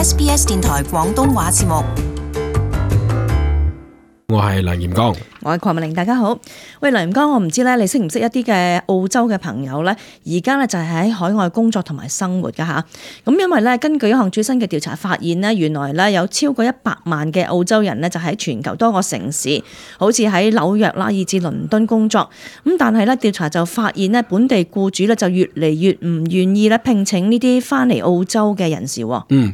SBS 電台廣東話節目。我係梁炎剛，我係鄺美玲，大家好。喂，梁炎剛，我唔知咧，你識唔識一啲嘅澳洲嘅朋友咧？而家咧就係喺海外工作同埋生活噶吓。咁因為咧，根據一項最新嘅調查發現咧，原來咧有超過100萬嘅澳洲人咧，就喺全球多個城市，好似喺紐約啦，以至倫敦工作。咁但係咧，調查就發現咧，本地僱主咧就越嚟越唔願意咧聘請呢啲翻嚟澳洲嘅人士。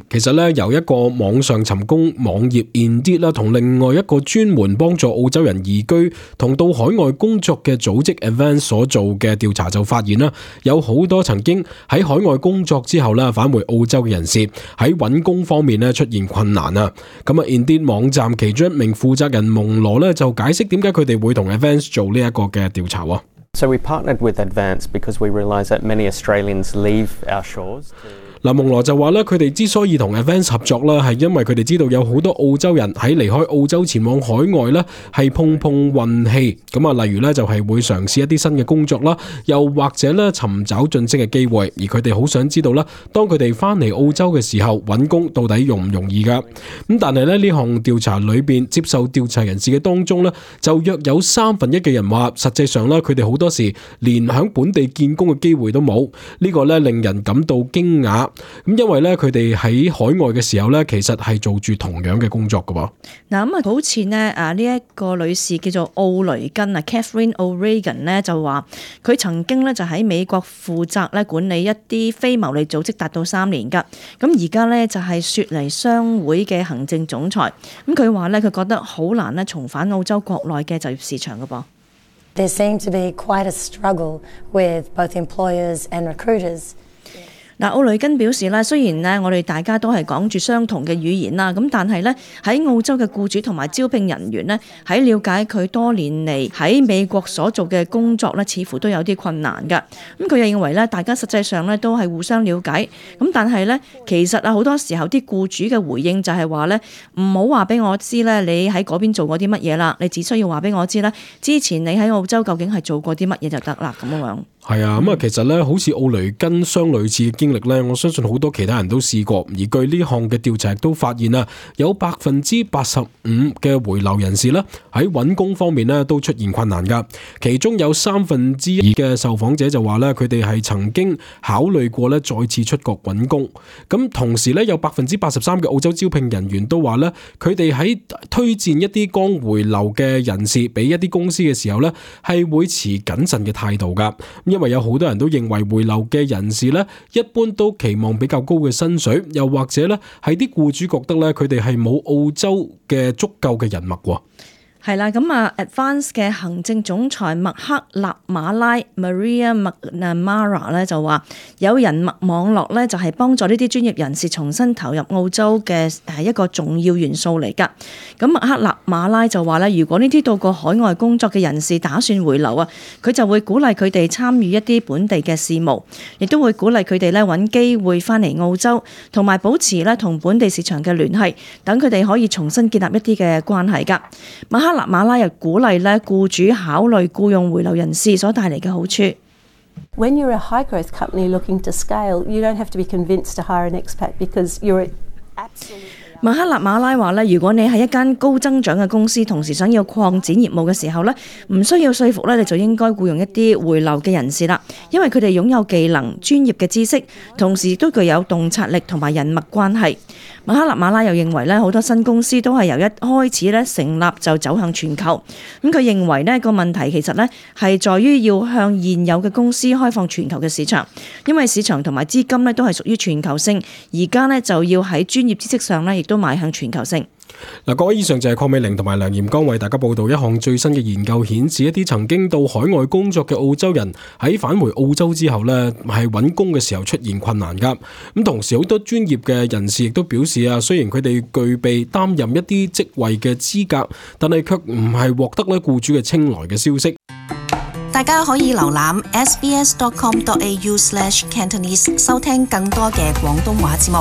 其實咧由一個網上尋工網頁 Indeed 啦，同另外一個專門幫助澳洲人移居同到海外工作嘅組織 Advance 所做嘅調查就發現啦，有好多曾經喺海外工作之後咧返回澳洲嘅人士喺揾工方面咧出現困難啊。咁啊 Indeed 網站其中一名負責人蒙羅咧就解釋點解佢哋會同 Advance 做呢一個嘅調查啊。So we partnered with Advance because we realise that many Australians leave our shores. 蒙羅就話咧，佢哋之所以同 Advance 合作啦，係因為佢哋知道有好多澳洲人喺離開澳洲前往海外咧，係碰運氣。咁啊，例如咧就係會嘗試一啲新嘅工作啦，又或者咧尋找晉升嘅機會。而佢哋好想知道啦，當佢哋翻嚟澳洲嘅時候，揾工到底容唔容易噶？咁但係咧呢項調查裏邊接受調查人士嘅當中咧，就約有1/3嘅人話，實際上咧佢哋好多時連響本地見工嘅機會都冇。呢個咧令人感到驚訝。咁因為咧，佢哋喺海外嘅時候咧，其實係做住同樣嘅工作噶噃。嗱咁啊，好似呢一個女士叫做奧雷根啊 ，Catherine O'Regan 咧就話，佢曾經咧就喺美國負責咧管理一啲非牟利組織達到3年噶。咁而家咧就係雪梨商會嘅行政總裁。咁佢話咧，佢覺得好難咧重返澳洲國內嘅就業市場噶噃。There seemed to be quite a struggle with both employers and recruiters. 嗱，奧雷根表示咧，雖然咧我哋大家都係講住相同嘅語言啦，咁但係咧喺澳洲嘅僱主同埋招聘人員咧，喺了解佢多年嚟喺美國所做嘅工作咧，似乎都有啲困難㗎。咁佢又認為咧，大家實際上咧都係互相了解，咁但係咧其實啊好多時候啲僱主嘅回應就係話咧，唔好話俾我知咧，你喺嗰邊做過啲乜嘢啦，你只需要話俾我知啦，之前你喺澳洲究竟係做過啲乜嘢就得啦咁樣。係啊，咁啊，其實咧，好似奧雷根相類似嘅經歷咧，我相信好多其他人都試過。而據呢項嘅調查都發現啊，有85%嘅回流人士咧喺揾工方面咧都出現困難噶。其中有2/3嘅受訪者就話咧，佢哋係曾經考慮過咧再次出國揾工。咁同時咧，有83%嘅澳洲招聘人員都話咧，佢哋喺推薦一啲剛回流嘅人士俾一啲公司嘅時候咧，係會持謹慎嘅態度噶。因為有好多人都認為回流嘅人士咧，一般都期望比較高嘅薪水，又或者咧係啲僱主覺得咧佢哋係冇澳洲嘅足夠嘅人脈喎。係啦，咁啊 Advance 嘅行政總裁麥克納馬拉 Maria McNamara 咧就話，有人脈網絡咧就係幫助呢啲專業人士重新投入澳洲嘅一個重要元素嚟㗎。咁麥克納馬拉就話咧，如果呢啲到過海外工作嘅人士打算回流啊，佢就會鼓勵佢哋參與一啲本地嘅事務，亦都會鼓勵佢哋咧揾機會翻嚟澳洲，同埋保持咧同本地市場嘅聯繫，等佢哋可以重新建立一啲嘅關係㗎。麥克納馬拉又鼓勵咧僱主考慮僱用回流人士所帶嚟嘅好處。When you're a high growth company looking to scale, you don't have to be convinced to hire an expat because you're absolutely. 麥克納馬拉話咧，如果你係一間高增長嘅公司，同時想要擴展業務嘅時候咧，唔需要說服咧，你就應該僱用一啲回流嘅人士啦，因為佢哋擁有技能、專業嘅知識，同時都具有洞察力同埋人脈關係。麥克納馬拉又認為咧，好多新公司都係由一開始咧成立就走向全球。咁佢認為呢個問題其實咧係在於要向現有嘅公司開放全球嘅市場，因為市場同埋資金咧都係屬於全球性，而家咧就要喺專業知識上咧亦都邁向全球性。嗱，各位，以上就係鄺美玲同埋梁炎剛為大家報道一項最新嘅研究，顯示一啲曾經到海外工作嘅澳洲人喺返回澳洲之後呢，係揾工嘅時候出現困難噶。咁同時好多專業嘅人士亦都表示啊，雖然佢哋具備擔任一啲職位嘅資格，但係卻唔係獲得咧僱主嘅青睞嘅消息。大家可以瀏覽 sbs.com.au/Cantonese 收聽更多嘅廣東話節目。